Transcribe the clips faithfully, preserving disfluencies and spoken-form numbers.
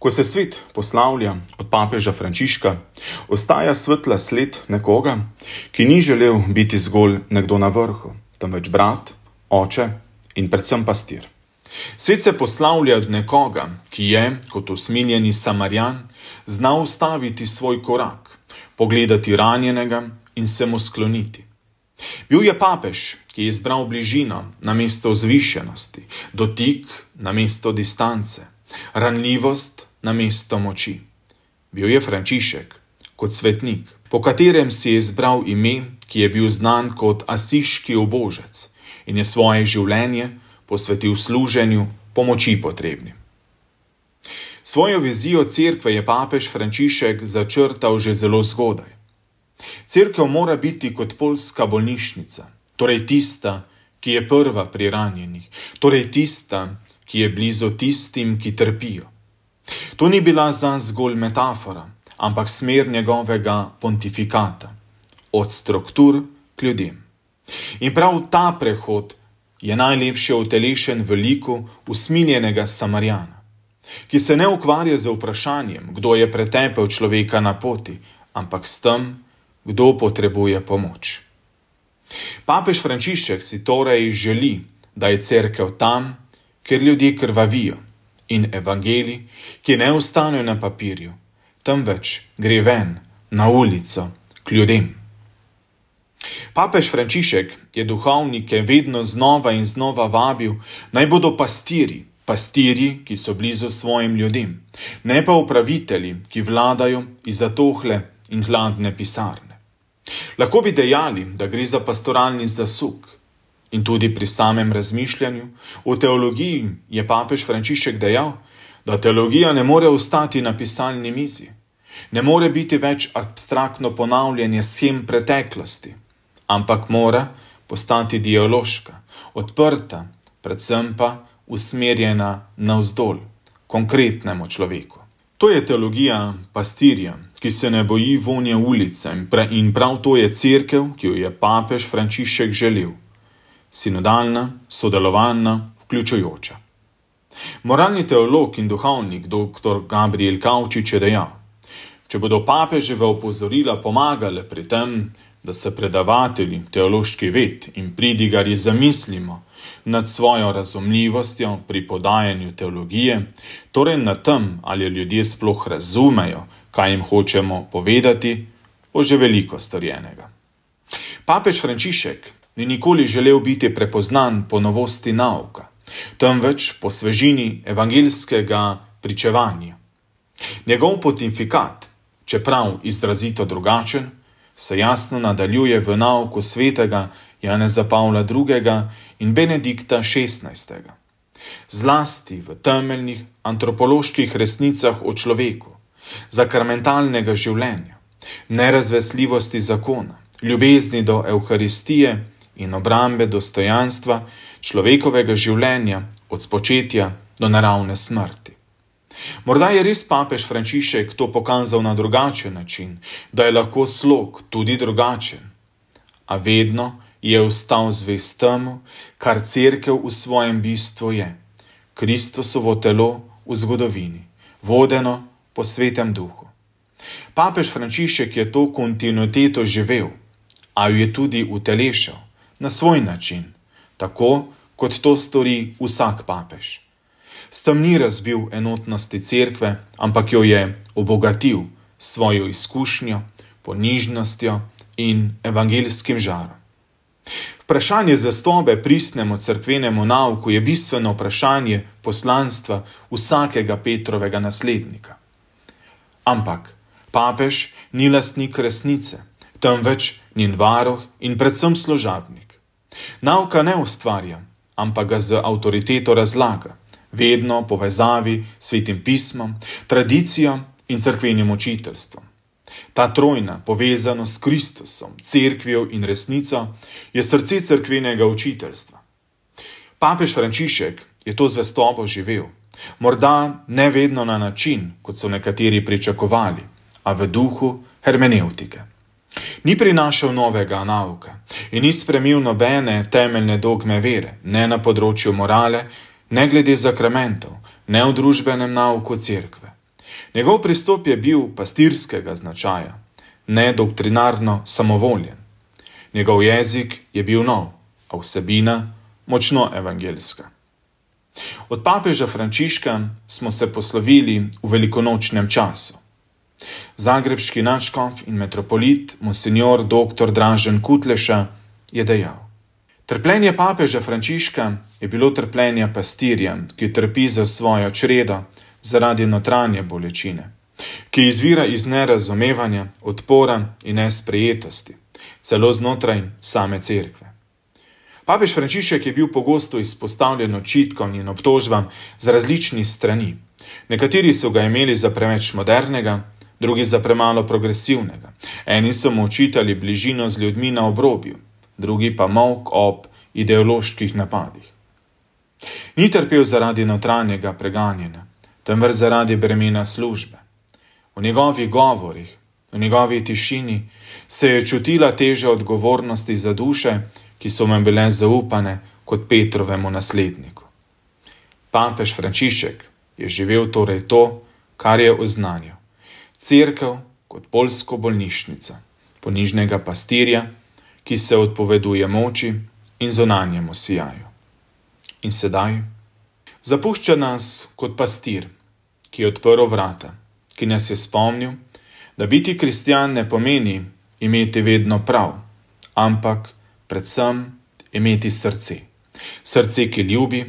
Ko se svet poslavlja od papeža Frančiška, ostaja svetla sled nekoga, ki ni želel biti zgolj nekdo na vrhu, temveč brat, oče in predvsem pastir. Svet se poslavlja od nekoga, ki je, kot usmiljeni Samarjan, znal ustaviti svoj korak, pogledati ranjenega in se mu skloniti. Bil je papež, ki je izbral bližino namesto vzvišenosti, dotik namesto distance, ranljivost namesto moči. Bil je Frančišek kot svetnik, po katerem si je izbral ime, ki je bil znan kot asiški ubožec in je svoje življenje posvetil služenju pomoči potrebnim. Svojo vizijo cerkve je papež Frančišek začrtal že zelo zgodaj. Cerkev mora biti kot poljska bolnišnica, torej tista, ki je prva pri ranjenih, torej tista, ki je blizu tistim, ki trpijo. To ni bila zanj zgolj metafora, ampak smer njegovega pontifikata, od struktur k ljudem. In prav ta prehod je najlepše utelešen v liku usmiljenega Samarjana, ki se ne ukvarja z vprašanjem, kdo je pretepel človeka na poti, ampak s tem, kdo potrebuje pomoč. Papež Frančišek si torej želi, da je cerkev tam, kjer ljudje krvavijo, in evangelij, ki ne ostanejo na papirju, temveč gre ven, na ulico, k ljudem. Papež Frančišek je duhovnike vedno znova in znova vabil, naj bodo pastiri, pastiri, ki so blizu svojim ljudem, ne pa upravitelji, ki vladajo iz zatohle in hladne pisarne. Lahko bi dejali, da gre za pastoralni zasuk. In tudi pri samem razmišljanju o teologiji je papež Frančišek dejal, da teologija ne more ostati na pisalni mizi, ne more biti več abstraktno ponavljanje shem preteklosti, ampak mora postati dialoška, odprta, predvsem pa usmerjena navzdol, konkretnemu človeku. To je teologija pastirja, ki se ne boji vonje ulice in prav to je cerkev, ki jo je papež Frančišek želel. Sinodalna, sodelovalna, vključujoča. Moralni teolog in duhovnik dr. Gabriel Kavčič je dejal, če bodo papeževa opozorila pomagale pri tem, da se predavatelji teološki ved in pridigarji zamislimo nad svojo razumljivostjo pri podajanju teologije, torej nad tem, ali ljudje sploh razumejo, kaj jim hočemo povedati, bo že veliko storjenega. Papež Frančišek ni nikoli želel biti prepoznan po novosti nauka, temveč po svežini evangeljskega pričevanja. Njegov pontifikat, čeprav izrazito drugačen, se jasno nadaljuje v nauku svetega Janeza Pavla drugega in Benedikta šestnajstega. Zlasti v temeljnih antropoloških resnicah o človeku, sakramentalnega življenja, nerazvesljivosti zakona, ljubezni do Evharistije in obrambe dostojanstva človekovega življenja od spočetja do naravne smrti. Morda je res papež Frančišek to pokazal na drugačen način, da je lahko slog tudi drugačen, a vedno je ostal zvest temu, kar cerkev v svojem bistvu je, Kristusovo telo v zgodovini, vodeno po svetem duhu. Papež Frančišek je to kontinuiteto živel, a jo je tudi utelešal na svoj način, tako kot to stori vsak papež. S tem ni razbil enotnosti cerkve, ampak jo je obogatil svojo izkušnjo, ponižnostjo in evangeljskim žarom. Vprašanje zvestobe pristnemu cerkvenemu nauku je bistveno vprašanje poslanstva vsakega Petrovega naslednika. Ampak papež ni lastnik resnice, temveč njen varuh in predvsem služabnik. Nauka ne ustvarja, ampak ga z avtoriteto razlaga, vedno povezavi s svetim pismom, tradicijo in cerkvenim učiteljstvom. Ta trojna povezanost s Kristusom, cerkvijo in resnico je srce cerkvenega učiteljstva. Papež Frančišek je to zvestobo živel, morda ne vedno na način, kot so nekateri pričakovali, a v duhu hermenevtike. Ni prinašal novega nauka in ni spremenil nobene temeljne dogme vere, ne na področju morale, ne glede zakramentov, ne v družbenem nauku cerkve. Njegov pristop je bil pastirskega značaja, ne doktrinarno samovoljen. Njegov jezik je bil nov, a vsebina močno evangeljska. Od papeža Frančiška smo se poslovili v velikonočnem času. Zagrebški nadškof in metropolit monsignor doktor Dražen Kutleša je dejal: Trpljenje papeža Frančiška je bilo trpljenje pastirja, ki trpi za svojo čredo zaradi notranje bolečine, ki izvira iz nerazumevanja, odpora in nesprejetosti, celo znotraj same cerkve. Papež Frančišek je bil pogosto izpostavljen očitkom in obtožbam z različnih strani. Nekateri so ga imeli za preveč modernega, drugi za premalo progresivnega. Eni so mu očitali bližino z ljudmi na obrobju, drugi pa molk ob ideoloških napadih. Ni trpel zaradi notranjega preganjanja, temveč zaradi bremena službe. V njegovih govorih, v njegovi tišini se je čutila teža odgovornosti za duše, ki so mu bile zaupane kot Petrovemu nasledniku. Papež Frančišek je živel torej to, kar je oznanjal. Cerkev kot poljsko bolnišnica, ponižnega pastirja, ki se odpoveduje moči in zunanjemu sijaju. In sedaj zapušča nas kot pastir, ki je odprl vrata, ki nas je spomnil, da biti kristjan ne pomeni imeti vedno prav, ampak predvsem imeti srce. Srce, ki ljubi,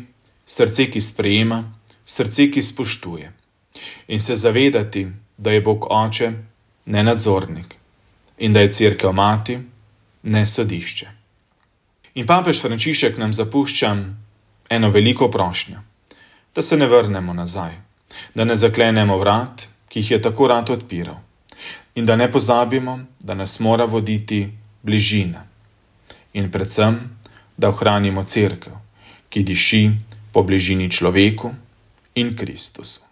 srce, ki sprejema, srce, ki spoštuje. In se zavedati, da je Bog oče, ne nadzornik, in da je cerkev mati, ne sodišče. In papež Frančišek nam zapušča eno veliko prošnjo, da se ne vrnemo nazaj, da ne zaklenemo vrat, ki jih je tako rad odpiral, in da ne pozabimo, da nas mora voditi bližina. In predvsem, da ohranimo cerkev, ki diši po bližini človeku in Kristusu.